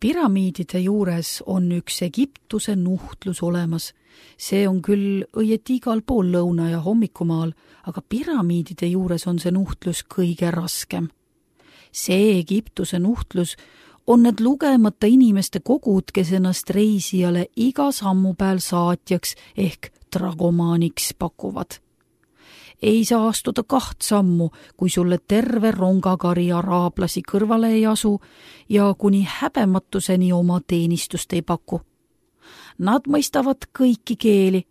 Püramiidide juures on üks Egiptuse nuhtlus olemas. See on küll õieti igal pool lõuna- ja hommikumaal, aga püramiidide juures on see nuhtlus kõige raskem. See Egiptuse nuhtlus on need lugemata inimeste kogud, kes ennast reisijale iga sammu peal saatjaks ehk dragomaaniks pakuvad. Ei saa astuda 2 sammu, kui sulle terve rongakari araablasi kõrvale ei asu ja kuni häbematuseni oma teenistust ei paku. Nad mõistavad kõiki keeli,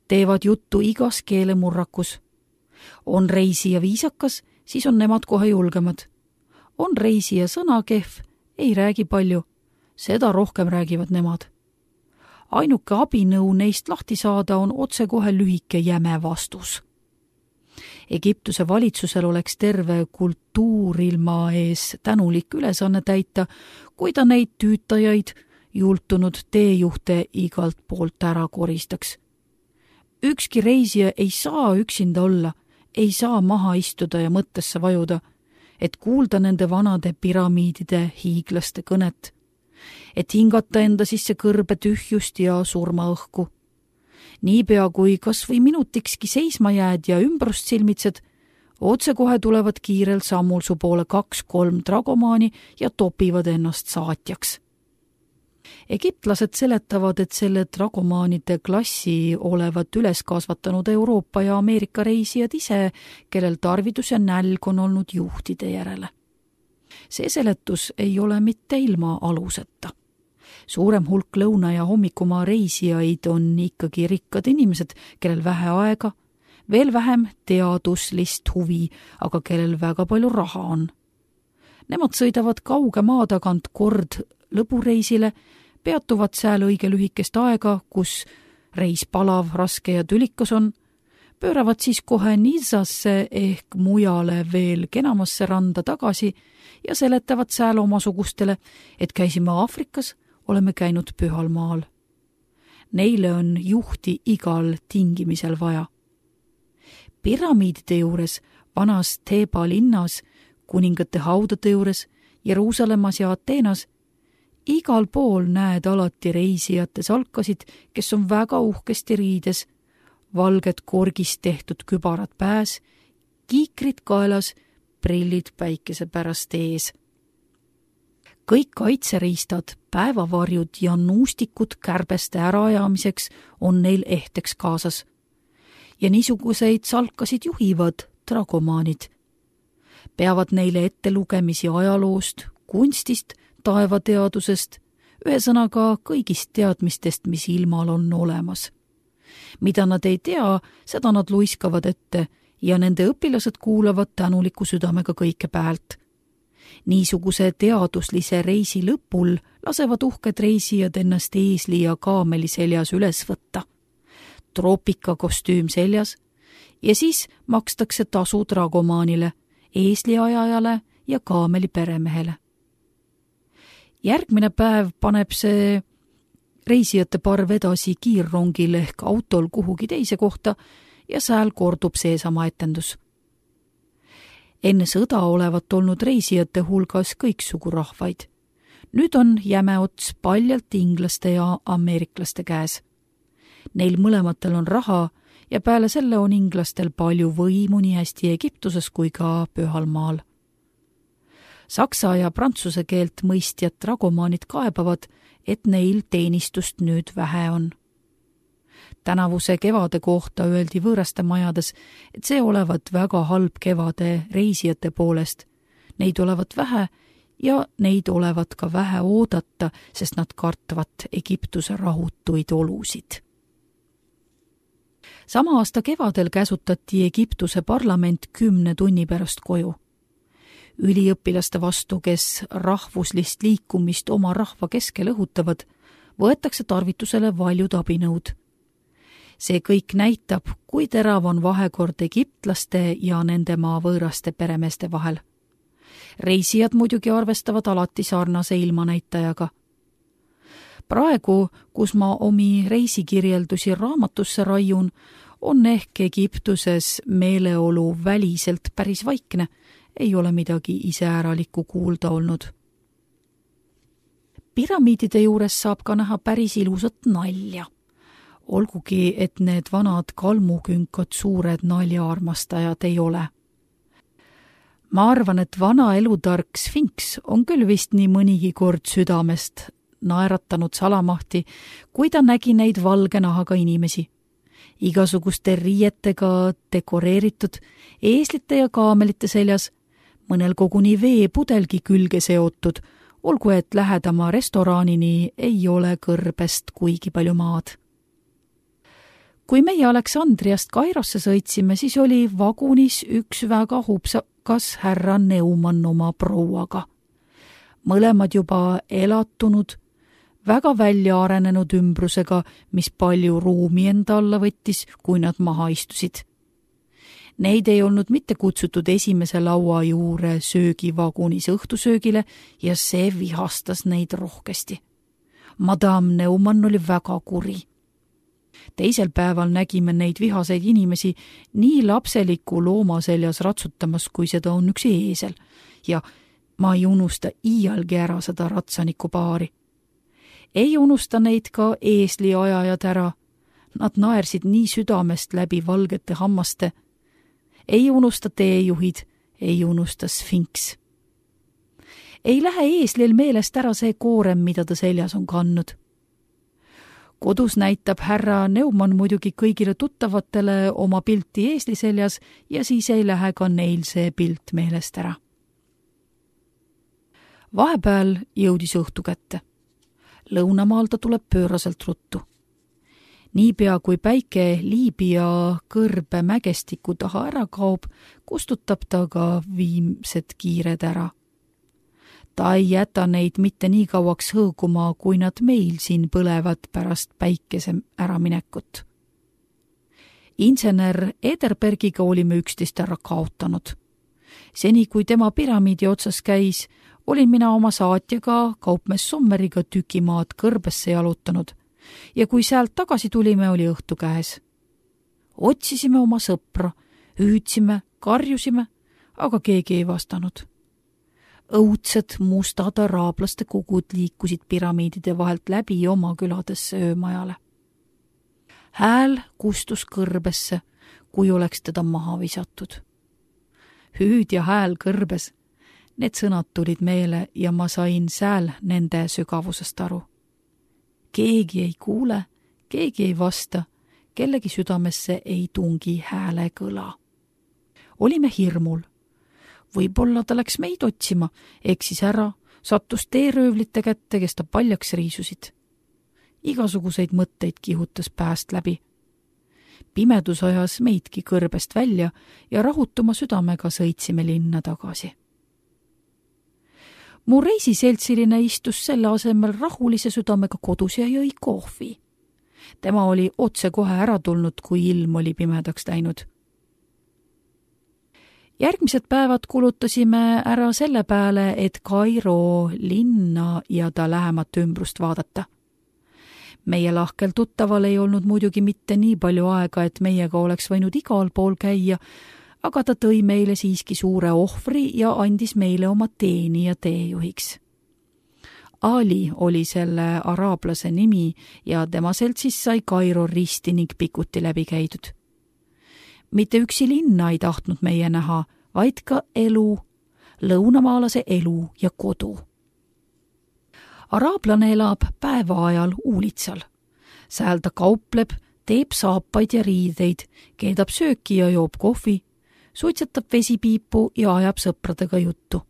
teevad juttu igas keelemurrakus. On reisija viisakas, siis on nemad kohe julgemad. On reisija sõnakehv, ei räägi palju, seda rohkem räägivad nemad. Ainuke abinõu neist lahti saada on otsekohe lühike jäme vastus. Egiptuse valitsusel oleks terve kultuurilma ees tänulik ülesanne täita, kui ta neid tüütajaid, jultunud teejuhte igalt poolt ära koristaks. Ükski reisija ei saa üksinda olla, ei saa maha istuda ja mõttesse vajuda, et kuulda nende vanade püramiidide hiiglaste kõnet, et hingata enda sisse kõrbe tühjust ja surmaõhku. Niipea kui kas või minutikski seisma jääd ja ümbrust silmitsed, otsekohe tulevad kiirel sammul su poole 2-3 dragomaani ja topivad ennast saatjaks. Egiptlased seletavad, et selle dragomaanide klassi olevat üles kasvatanud Euroopa ja Ameerika reisijad ise, kellel tarvidus ja nälg on olnud juhtide järele. See seletus ei ole mitte ilma aluseta. Suurem hulk lõuna- ja hommikumaa reisijaid on ikkagi rikkad inimesed, kellel vähe aega, veel vähem teaduslist huvi, aga kellel väga palju raha on. Nemad sõidavad kauge maa tagant kord lõbureisile, peatuvad seal õige lühikest aega, kus reis palav, raske ja tülikas on, pööravad siis kohe Nizasse ehk mujale veel kenamasse randa tagasi ja seletavad seal omasugustele, et käisime Aafrikas, oleme käinud pühal maal. Neile on juhti igal tingimisel vaja. Püramiidide juures, vanas Teeba linnas, kuningate haudade juures, Jeruusalemmas ja Ateenas, igal pool näed alati reisijate salkasid, kes on väga uhkesti riides, valged korgist tehtud kübarad pääs, kiikrid kaelas, prillid päikese pärast ees. Kõik kaitseriistad, päevavarjud ja nuustikud kärbeste äraajamiseks on neil ehteks kaasas. Ja niisuguseid salkasid juhivad dragomaanid. Peavad neile ettelugemisi ajaloost, kunstist, taevateadusest, ühesõnaga kõigist teadmistest, mis ilmal on olemas. Mida nad ei tea, seda nad luiskavad ette ja nende õpilased kuulavad tänuliku südamega kõike päält. Niisuguse teaduslise reisi lõpul lasevad uhked reisijad ennast eesli ja kaameli seljas üles võtta. Troopikakostüüm seljas ja siis makstakse tasu dragomaanile, eesliajajale ja kaameli peremehele. Järgmine päev paneb see reisijate parv edasi kiirrongil ehk autol kuhugi teise kohta ja sääl kordub seesama etendus. Enne sõda olevat olnud reisijate hulgas kõiksugu rahvaid. Nüüd on jäme ots paljalt inglaste ja ameeriklaste käes. Neil mõlematel on raha ja peale selle on inglastel palju võimu nii hästi Egiptuses kui ka pühal maal. Saksa ja prantsuse keelt mõistjad dragomaanid kaebavad, et neil teenistust nüüd vähe on. Tänavuse kevade kohta öeldi võõraste majades, et see olevat väga halb kevade reisijate poolest. Neid olevat vähe ja neid olevat ka vähe oodata, sest nad kartvat Egiptuse rahutuid olusid. Sama aasta kevadel käsutati Egiptuse parlament 10 tunni pärast koju. Üliõpilaste vastu, kes rahvuslist liikumist oma rahva keskel õhutavad, võetakse tarvitusele valjud abinõud. See kõik näitab, kui terav on vahekord egiptlaste ja nende maa võõraste peremeeste vahel. Reisijad muidugi arvestavad alati sarnase ilmanäitajaga. Praegu, kus ma omi reisikirjeldusi raamatusse raiun, on ehk Egiptuses meeleolu väliselt päris vaikne, ei ole midagi iseäralikku kuulda olnud. Piramiidide juures saab ka näha päris ilusat nalja. Olgugi, et need vanad kalmukünkad suured naljaarmastajad ei ole. Ma arvan, et vana elutark Sfinks on küll vist nii mõnigi kord südamest naeratanud salamahti, kui ta nägi neid valge nahaga inimesi. Igasuguste riietega dekoreeritud, eeslite ja kaamelite seljas, mõnel koguni veepudelgi külge seotud, olgu et lähedama restoranini ei ole kõrbest kuigi palju maad. Kui meie Aleksandriast Kairosse sõitsime, siis oli vagunis üks väga hupsakas härra Neumann oma prouaga. Mõlemad juba elatunud, väga välja arenenud ümbrusega, mis palju ruumi enda alla võttis, kui nad maha istusid. Neid ei olnud mitte kutsutud esimese laua juure söögivagunis õhtusöögile ja see vihastas neid rohkesti. Madame Neumann oli väga kuri. Teisel päeval nägime neid vihaseid inimesi nii lapseliku looma seljas ratsutamas, kui seda on üks eesel, ja ma ei unusta iialgi ära seda ratsaniku paari. Ei unusta neid ka eesliajajad ära, nad naersid nii südamest läbi valgete hammaste. Ei unusta teejuhid, ei unusta Sfinks. Ei lähe eeslil meelest ära see koorem, mida ta seljas on kandnud. Kodus näitab härra Neumann muidugi kõigile tuttavatele oma pilti eesli seljas ja siis ei lähe ka neil see pilt meelest ära. Vahepeal jõudis õhtu kätte. Lõunamaal ta tuleb pööraselt ruttu. Niipea kui päike Liibia kõrbe mägestiku taha ära kaob, kustutab ta ka viimsed kiired ära. Ta ei jäta neid mitte nii kauaks hõõguma, kui nad meil siin põlevad pärast päikese äraminekut. Insener Ederbergiga olime üksteist ära kaotanud. Seni, kui tema piramiidi otsas käis, olin mina oma saatjaga kaupmees Sommeriga tükimaad kõrbesse jalutanud ja kui sealt tagasi tulime, oli õhtu käes. Otsisime oma sõpra, hüüdsime, karjusime, aga keegi ei vastanud. Õudsed mustad araablaste kogud liikusid piramiidide vahelt läbi oma küladesse öömajale. Hääl kustus kõrbesse, kui oleks teda maha visatud. Hüüd ja hääl kõrbes, need sõnad tulid meele ja ma sain sääl nende sügavusest aru. Keegi ei kuule, keegi ei vasta, kellegi südamesse ei tungi hääle kõla. Olime hirmul. Võib-olla ta läks meid otsima, eksis ära, sattus teeröövlite kätte, kes ta paljaks riisusid. Igasuguseid mõtteid kihutas pääst läbi. Pimedus ajas meidki kõrbest välja ja rahutuma südamega sõitsime linna tagasi. Mu reisiseltsiline istus selle asemel rahulise südamega kodus ja jõi kohvi. Tema oli otse kohe ära tulnud, kui ilm oli pimedaks läinud. Järgmised päevad kulutasime ära selle peale, et Kairo linna ja ta lähemat ümbrust vaadata. Meie lahkel tuttaval ei olnud muidugi mitte nii palju aega, et meiega oleks võinud igal pool käia, aga ta tõi meile siiski suure ohvri ja andis meile oma teenija teejuhiks. Ali oli selle araablase nimi ja tema seltsis sai Kairo risti ning pikuti läbi käidud. Mitte üksi linna ei tahtnud meie näha, vaid ka elu, lõunamaalase elu ja kodu. Araablane elab päeva ajal uulitsal. Sääl ta kaupleb, teeb saapaid ja riideid, keedab sööki ja joob kohvi, suitsetab vesipiipu ja ajab sõpradega juttu.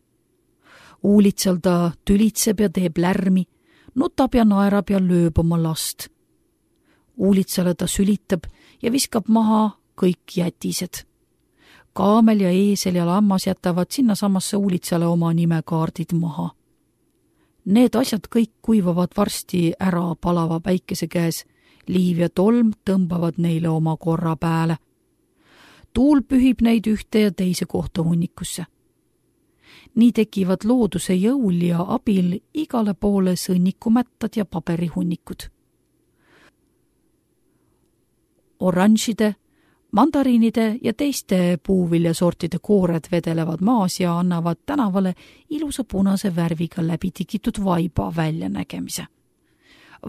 Uulitsal ta tülitseb ja teeb lärmi, nutab ja naerab ja lööb oma last. Uulitsale ta sülitab ja viskab maha kõik jätised. Kaamel ja eesel ja lammas jätavad sinna samasse uulitsale oma nimekaardid maha. Need asjad kõik kuivavad varsti ära palava päikese käes, liiv ja tolm tõmbavad neile oma korra pääle. Tuul pühib neid ühte ja teise kohta hunnikusse. Nii tekivad looduse jõul ja abil igale poole sõnnikumättad ja paberihunnikud. Oranžide, Mandariinide ja teiste puuviljasortide koored vedelevad maas ja annavad tänavale ilusa punase värviga läbi tikitud vaiba väljanägemise.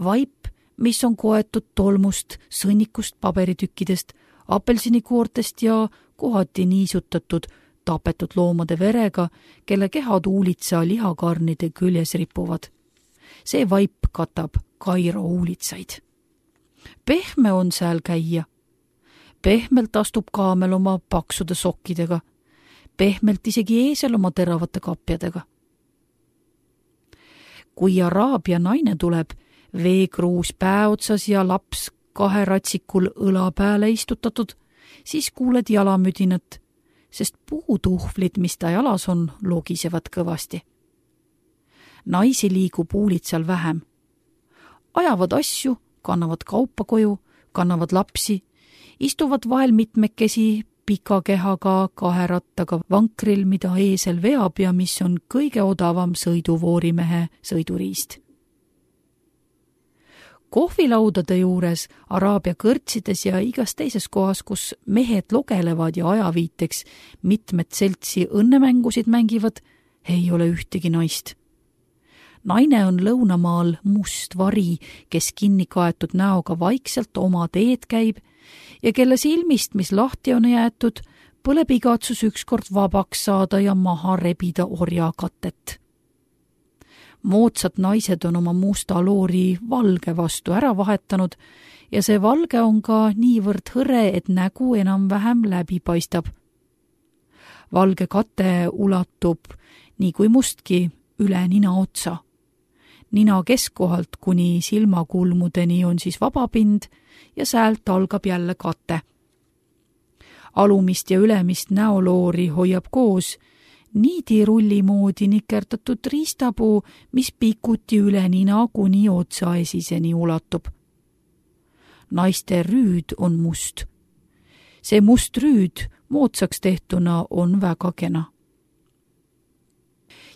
Vaip, mis on koetud tolmust, sõnnikust, paberitükkidest, apelsinikoortest ja kohati niisutatud tapetud loomade verega, kelle kehad uulitsa lihakarnide küljes ripuvad. See vaip katab Kairo uulitsaid. Pehme on seal käia. Pehmelt astub kaamel oma paksude sokkidega. Pehmelt isegi eesel oma teravate kapjadega. Kui araabia naine tuleb, veekruus päeotsas ja laps 2 ratsikul õla peale istutatud, siis kuuled jalamüdinat, sest puutuhvlid, mis ta jalas on, logisevad kõvasti. Naisi liigub uulitsal vähem. Ajavad asju, kannavad kaupa koju, kannavad lapsi, istuvad vahel mitmekesi pika kehaga 2 rattaga vankril, mida eesel veab ja mis on kõige odavam sõiduvoorimehe sõiduriist. Kohvilaudade juures, araabia kõrtsides ja igas teises kohas, kus mehed logelevad ja ajaviiteks mitmed seltsi õnnemängusid mängivad, ei ole ühtegi naist. Naine on lõunamaal must vari, kes kinni kaetud näoga vaikselt oma teed käib ja kelle silmist, mis lahti on jäetud, põleb igatsus ükskord vabaks saada ja maha rebida orjakatet. Moodsad naised on oma musta loori valge vastu ära vahetanud ja see valge on ka niivõrd hõre, et nägu enam-vähem läbi paistab. Valge kate ulatub nii kui mustki üle nina otsa. Nina keskkohalt kuni silmakulmudeni on siis vabapind ja säält algab jälle kate. Alumist ja ülemist näoloori hoiab koos niidirulli moodi nikerdatud riistapuu, mis pikuti üle nina kuni otsaesiseni ulatub. Naiste rüüd on must. See must rüüd moodsaks tehtuna on väga kena.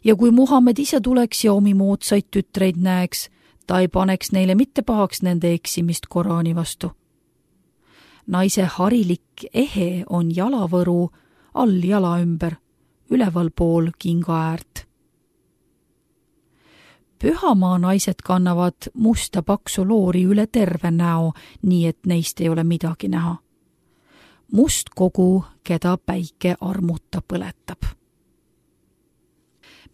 Ja kui Muhamed ise tuleks ja omi moodsaid tütreid näeks, ta ei paneks neile mitte pahaks nende eksimist Koraani vastu. Naise harilik ehe on jalavõru all jala ümber, üleval pool kinga äärt. Pühamaa naised kannavad musta paksu loori üle terve näo, nii et neist ei ole midagi näha. Must kogu, keda päike armuta põletab.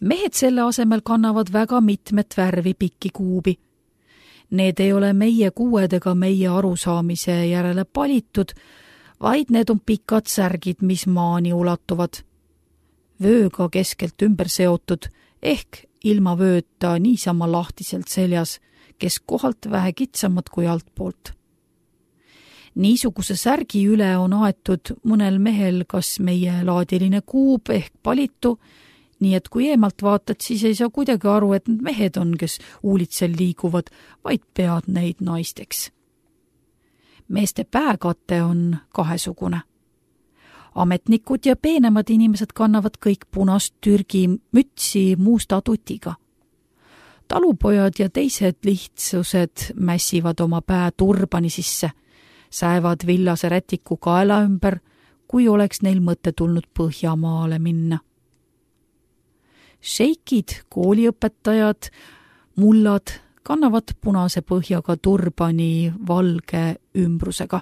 Mehed selle asemel kannavad väga mitmet värvi pikki kuubi. Need ei ole meie kuuedega meie arusaamise järele palitud, vaid need on pikad särgid, mis maani ulatuvad. Vööga keskelt ümber seotud, ehk ilma vööta niisama lahtiselt seljas, kes kohalt vähe kitsamad kui altpoolt. Niisuguse särgi üle on aetud mõnel mehel kas meie laadiline kuub ehk palitu, nii et kui eemalt vaatad, siis ei saa kuidagi aru, et need mehed on, kes uulitsel liiguvad, vaid pead neid naisteks. Meeste pääkate on kahesugune. Ametnikud ja peenemad inimesed kannavad kõik punast Türgi mütsi musta tutiga. Talupojad ja teised lihtsused mässivad oma pää turbani sisse, säevad villase rätiku kaela ümber, kui oleks neil mõte tulnud Põhjamaale minna. Šeikid, kooliõpetajad, mullad kannavad punase põhjaga turbani valge ümbrusega.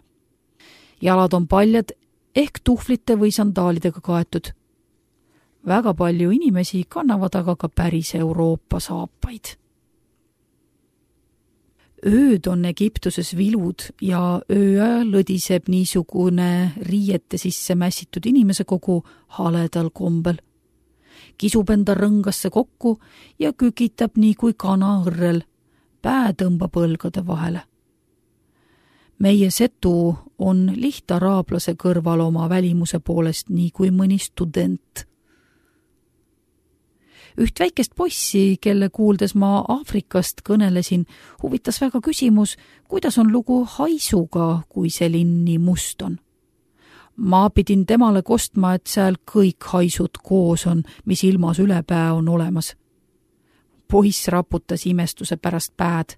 Jalad on paljad ehk tuhvlite või sandaalidega kaetud. Väga palju inimesi kannavad aga ka päris Euroopa saapaid. Ööd on Egiptuses vilud ja ööajal lõdiseb niisugune riiete sisse mässitud inimese kogu haledal kombel. Kisub enda rõngasse kokku ja kükitab nii kui kana õrrel, pää tõmbab õlgade vahele. Meie setu on lihtaraablase kõrval oma välimuse poolest nii kui mõni student. Üht väikest poissi, kelle kuuldes ma Aafrikast kõnelesin, huvitas väga küsimus, kuidas on lugu haisuga, kui see linn nii must on. Ma pidin temale kostma, et seal kõik haisud koos on, mis ilmas ülepää on olemas. Poiss raputas imestuse pärast pääd.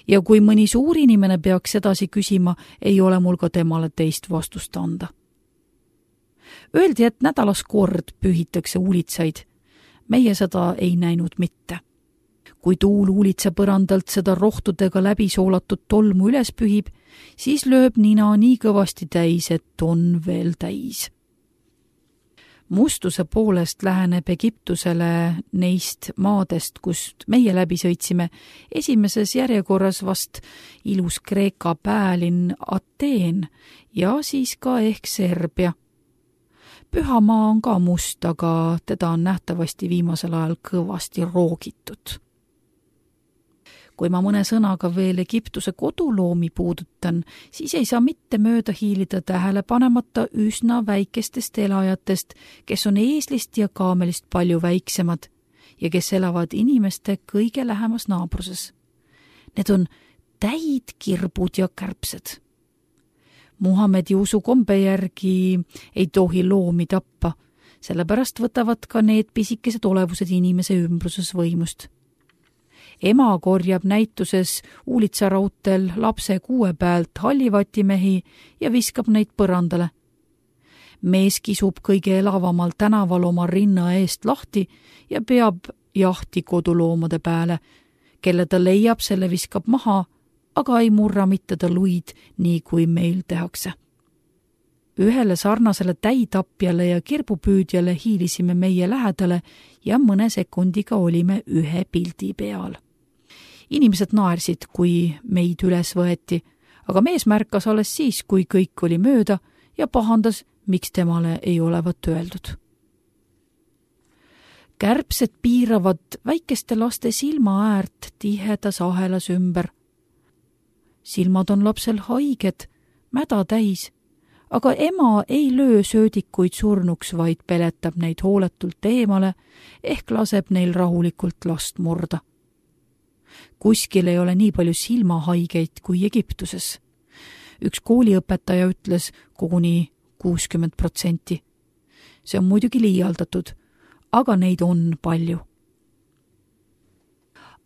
Ja kui mõni suur inimene peaks edasi küsima, ei ole mul ka temale teist vastust anda. Öeldi, et nädalas kord pühitakse uulitsaid. Meie seda ei näinud mitte. Kui tuul uulitsa põrandalt seda rohtudega läbi soolatud tolmu üles pühib, siis lööb nina nii kõvasti täis, et on veel täis. Mustuse poolest läheneb Egiptusele neist maadest, kust meie läbi sõitsime, esimeses järjekorras vast ilus Kreeka päälinn Ateen ja siis ka ehk Serbia. Pühamaa on ka must, aga teda on nähtavasti viimasel ajal kõvasti roogitud. Kui ma mõne sõnaga veel Egiptuse koduloomi puudutan, siis ei saa mitte mööda hiilida tähele panemata üsna väikestest elajatest, kes on eeslist ja kaamelist palju väiksemad ja kes elavad inimeste kõige lähemas naabruses. Need on täid, kirbud ja kärbsed. Muhamedi usukombe järgi ei tohi loomi tappa, sellepärast võtavad ka need pisikesed olevused inimese ümbruses võimust. Ema korjab näituses uulitsarautel lapse kuue pealt hallivatimehi ja viskab neid põrandale. Mees kisub kõige elavamal tänaval oma rinna eest lahti ja peab jahti koduloomade peale. Kelle ta leiab, selle viskab maha, aga ei murra mitte ta luid, nii kui meil tehakse. Ühele sarnasele täitapjale ja kirbupüüdjale hiilisime meie lähedale ja mõne sekundiga olime ühe pildi peal. Inimesed naersid, kui meid üles võeti, aga mees märkas alles siis, kui kõik oli mööda ja pahandas, miks temale ei olevat öeldud. Kärbsed piiravad väikeste laste silmaäärt tihedas ahelas ümber. Silmad on lapsel haiged, mäda täis, aga ema ei löö söödikuid surnuks, vaid peletab neid hooletult eemale ehk laseb neil rahulikult last murda. Kuskil ei ole nii palju silmahaigeid kui Egiptuses. Üks kooliõpetaja ütles koguni 60%. See on muidugi liialdatud, aga neid on palju.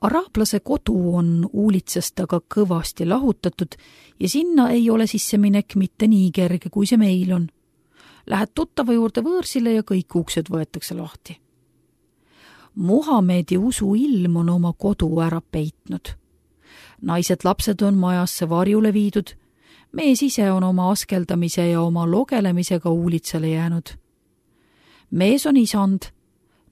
Araablase kodu on uulitsast aga kõvasti lahutatud ja sinna ei ole sisseminek mitte nii kerge, kui see meil on. Lähed tuttava juurde võõrsile ja kõik uksed võetakse lahti. Muhamedi usu ilm on oma kodu ära peitnud. Naised lapsed on majasse varjule viidud, mees ise on oma askeldamise ja oma logelemisega uulitsale jäänud. Mees on isand,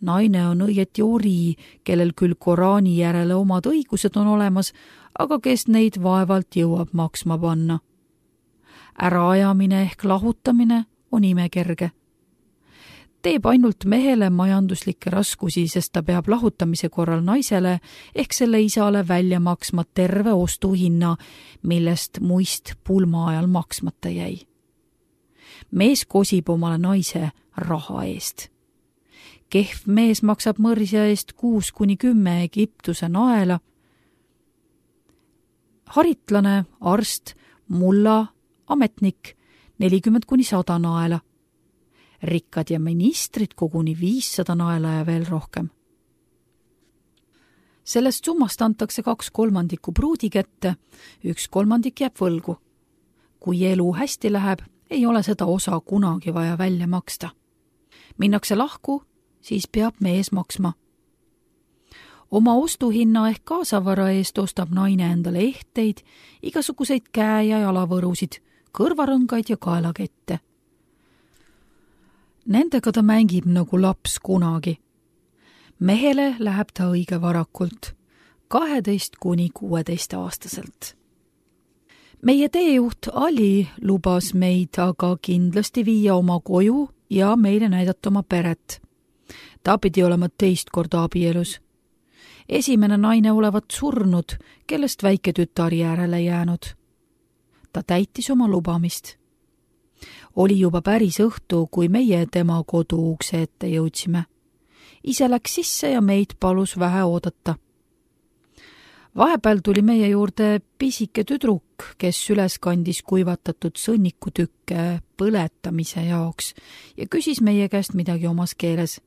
naine on õieti ori, kellel küll Koraani järele omad õigused on olemas, aga kes neid vaevalt jõuab maksma panna. Äraajamine ehk lahutamine on imekerge. Teeb ainult mehele majanduslikke raskusi, sest ta peab lahutamise korral naisele ehk selle isale välja maksma terve ostuhinna, millest muist pulma ajal maksmata jäi. Mees kosib omale naise raha eest. Kehv mees maksab mõrsja eest 6-10 Egiptuse naela. Haritlane, arst, mulla, ametnik 40-100 naela. Rikkad ja ministrid koguni 500 naela ja veel rohkem. Sellest summast antakse 2/3 pruudi kätte, 1/3 jääb võlgu. Kui elu hästi läheb, ei ole seda osa kunagi vaja välja maksta. Minnakse lahku, siis peab mees maksma. Oma ostuhinna ehk kaasavara eest ostab naine endale ehteid, igasuguseid käe- ja jalavõrusid, kõrvarõngaid ja kaelakette. Nendega ta mängib nagu laps kunagi. Mehele läheb ta õige varakult, 12-16 aastaselt. Meie teejuht Ali lubas meid aga kindlasti viia oma koju ja meile näidata oma peret. Ta pidi olema teist korda abielus. Esimene naine olevat surnud, kellest väike tütar järele jäänud. Ta täitis oma lubamist. Oli juba päris õhtu, kui meie tema kodu ukse ette jõudsime. Ise läks sisse ja meid palus vähe oodata. Vahepeal tuli meie juurde pisike tüdruk, kes üles kandis kuivatatud sõnnikutükke põletamise jaoks ja küsis meie käest midagi omas keeles.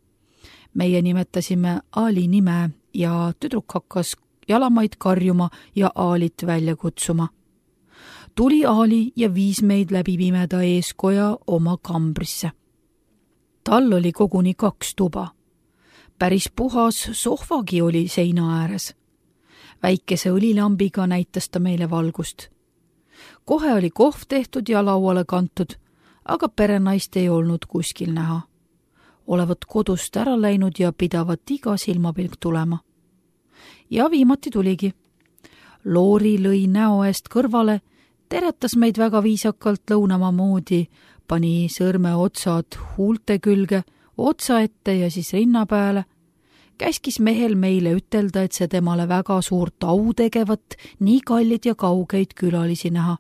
Meie nimetasime Ali nime ja tüdruk hakkas jalamaid karjuma ja Aalit välja kutsuma. Tuli Aali ja viis meid läbi pimeda eeskoja oma kambrisse. Tal oli koguni 2 tuba. Päris puhas sohvagi oli seina ääres. Väikese õlilambiga näitas ta meile valgust. Kohe oli kohv tehtud ja lauale kantud, aga perenaist ei olnud kuskil näha. Olevat kodust ära läinud ja pidavat iga silmapilk tulema. Ja viimati tuligi. Loori lõi näo eest kõrvale, teretas meid väga viisakalt lõunamaa moodi, pani sõrme otsad huulte külge, otsa ette ja siis rinna peale, käskis mehel meile ütelda, et see temale väga suurt au tegevat, nii kallid ja kaugeid külalisi näha.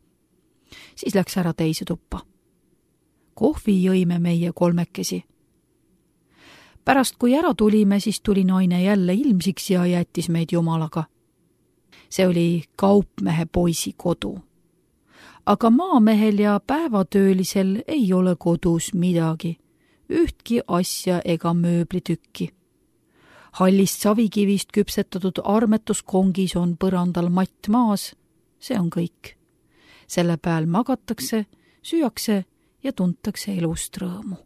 Siis läks ära teise tuppa. Kohvi jõime meie 3. Pärast kui ära tulime, siis tuli naine jälle ilmsiks ja jättis meid jumalaga. See oli kaupmehe poisi kodu. Aga maamehel ja päevatöölisel ei ole kodus midagi, ühtki asja ega mööblitükki. Hallist savikivist küpsetatud armetuskongis on põrandal matt maas, see on kõik. Selle peal magatakse, süüakse ja tuntakse elust rõõmu.